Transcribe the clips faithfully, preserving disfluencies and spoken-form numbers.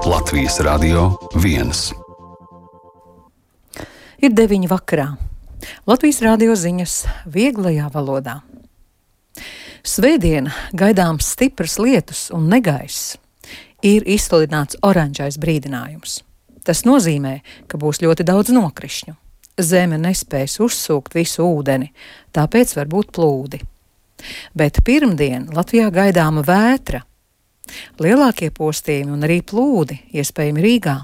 Latvijas Radio viens. Ir deviņi vakarā. Latvijas radio ziņas vieglajā valodā. Svētdien gaidāms stipras lietus un negaiss. Ir izsludināts oranžais brīdinājums. Tas nozīmē, ka būs ļoti daudz nokrišņu. Zeme nespēs uzsūkt visu ūdeni, tāpēc var būt plūdi. Bet pirmdien Latvijā gaidāma vētra. Lielākie postījumi un arī plūdi iespējami Rīgā.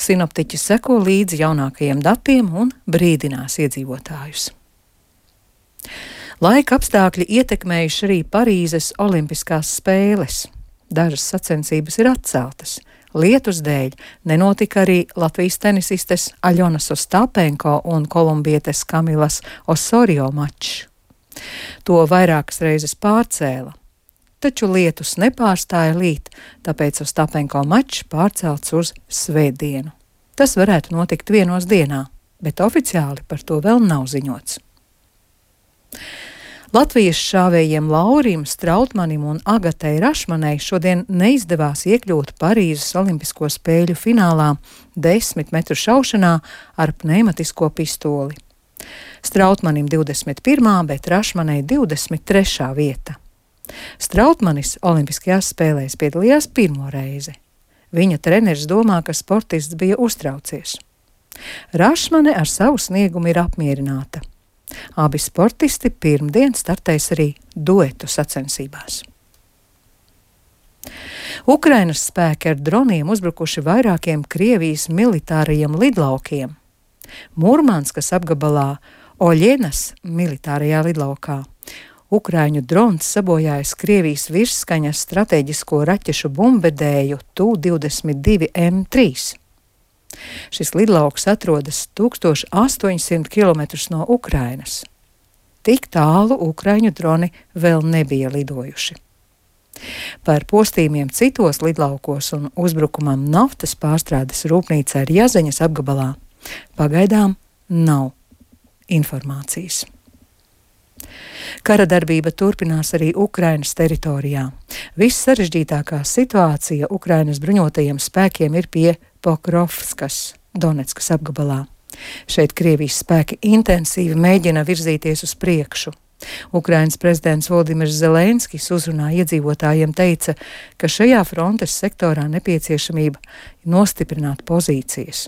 Sinoptiķi seko līdzi jaunākajiem datiem un brīdinās iedzīvotājus. Laika apstākļi ietekmējuši arī Parīzes olimpiskās spēles. Dažas sacensības ir atceltas. Lietus dēļ nenotika arī Latvijas tenisistes Aļonas Ostapenko un kolumbietes Kamilas Osorio mačs. To vairākas reizes pārcēla, taču lietus nepārstāja līt, tāpēc Ostapenko mačs pārcelts uz svētdienu. Tas varētu notikt vienos dienā, bet oficiāli par to vēl nav ziņots. Latvijas šāvējiem Laurim Strautmanim un Agatei Rašmanai šodien neizdevās iekļūt Parīzes olimpisko spēļu finālā desmit metru šaušanā ar pneimatisko pistoli. Strautmanim divdesmit pirmā, bet Rašmanai divdesmit trešā vieta. Strautmanis olimpiskajās spēlēs piedalījās pirmo reizi. Viņa treneris domā, ka sportists bija uztraucies. Rašmane ar savu sniegumu ir apmierināta. Abi sportisti pirmdien startēs arī duetu sacensībās. Ukrainas spēki ar droniem uzbrukuši vairākiem Krievijas militārajiem lidlaukiem. Murmanskas apgabalā Oļenas militārajā lidlaukā Ukraiņu drons sabojājis Krievijas virsskaņas strateģisko raķešu bumbvedēju Tu divdesmit divi M trīs. Šis lidlauks atrodas tūkstoš astoņsimt kilometrus no Ukrainas. Tik tālu Ukraiņu droni vēl nebija lidojuši. Par postījumiem citos lidlaukos un uzbrukumam naftas pārstrādes rūpnīcā Rjazeņas apgabalā pagaidām nav informācijas. Kara darbība turpinās arī Ukrainas teritorijā. Vissarežģītākā situācija Ukrainas bruņotajiem spēkiem ir pie Pokrovskas, Donetskas apgabalā. Šeit Krievijas spēki intensīvi mēģina virzīties uz priekšu. Ukrainas prezidents Voldimirs Zelenskis uzrunā iedzīvotājiem teica, ka šajā frontes sektorā nepieciešamība nostiprināt pozīcijas.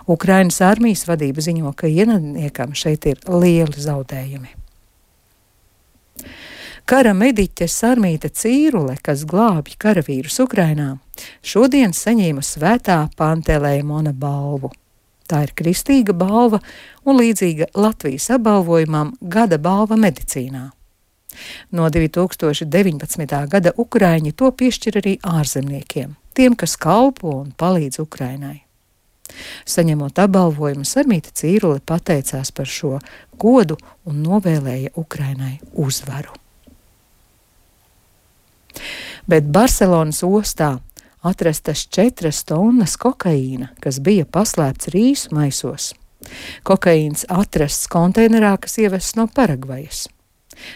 Ukrainas armijas vadība ziņo, ka ienaidniekam šeit ir lieli zaudējumi. Kara mediķe Sarmīte Cīrule, kas glābj karavīrus Ukrainā, šodien saņēma svētā Pantelejmona balvu. Tā ir kristīga balva un līdzīga Latvijas apbalvojumam Gada balva medicīnā. No divi tūkstoši deviņpadsmitā gada Ukraiņi to piešķir arī ārzemniekiem, tiem, kas kalpo un palīdz Ukrainai. Saņemot apbalvojumu, Sarmīte Cīrule pateicās par šo godu un novēlēja Ukrainai uzvaru. Bet Barcelonas ostā atrastas četras tonnas kokaīna, kas bija paslēpts rīsu maisos. Kokaīns atrasts konteinerā, kas ievests no Paragvajas.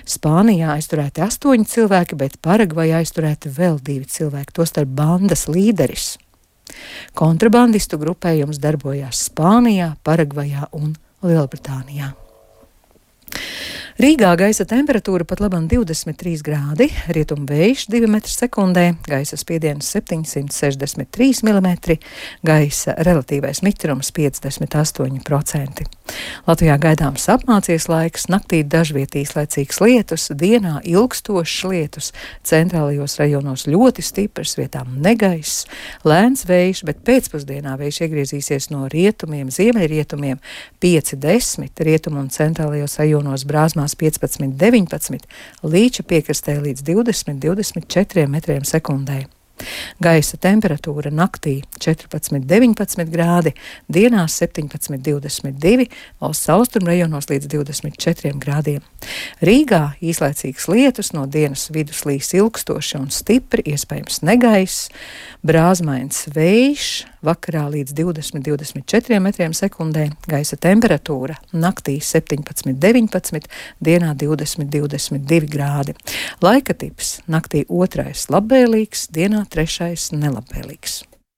Spānijā aizturēti astoņi cilvēki, bet Paragvajā aizturēti vēl divi cilvēki, tostarp bandas līderis. Kontrabandistu grupējums darbojās Spānijā, Paragvajā un Lielbritānijā. Rīgā gaisa temperatūra pat labam divdesmit trīs grādi, rietumu vējš divi metri sekundē, gaisa spiediens septiņsimt sešdesmit trīs milimetri, gaisa relatīvais mitrums piecdesmit astoņi procenti. Latvijā gaidāms apmācies laiks, naktī dažviet īslaicīgs lietus, dienā ilgstošs lietus, centrālajos rajonos ļoti stiprs, vietām negaiss, lēns vējš, bet pēcpusdienā vējš iegriezīsies no rietumiem, ziemeļrietumiem pieci desmit, rietumu un centrālajos rajonos Brāzmās piecpadsmit deviņpadsmit, Līča piekrastē līdz divdesmit divdesmit četriem metriem sekundē. Gaisa temperatūra naktī četrpadsmit deviņpadsmit grādi, dienā septiņpadsmit divdesmit divi, valsts austrumrajonos līdz divdesmit četriem grādiem. Rīgā īslaicīgs lietus, no dienas vidus līs ilgstoši un stipri, iespējams negaiss, brāzmains vējš, vakarā līdz divdesmit divdesmit četriem metriem sekundē, gaisa temperatūra naktī septiņpadsmit deviņpadsmit, dienā divdesmit divdesmit divi grādi. Laika tips naktī otrais labvēlīgs, dienā trešais nelabvēlīgs.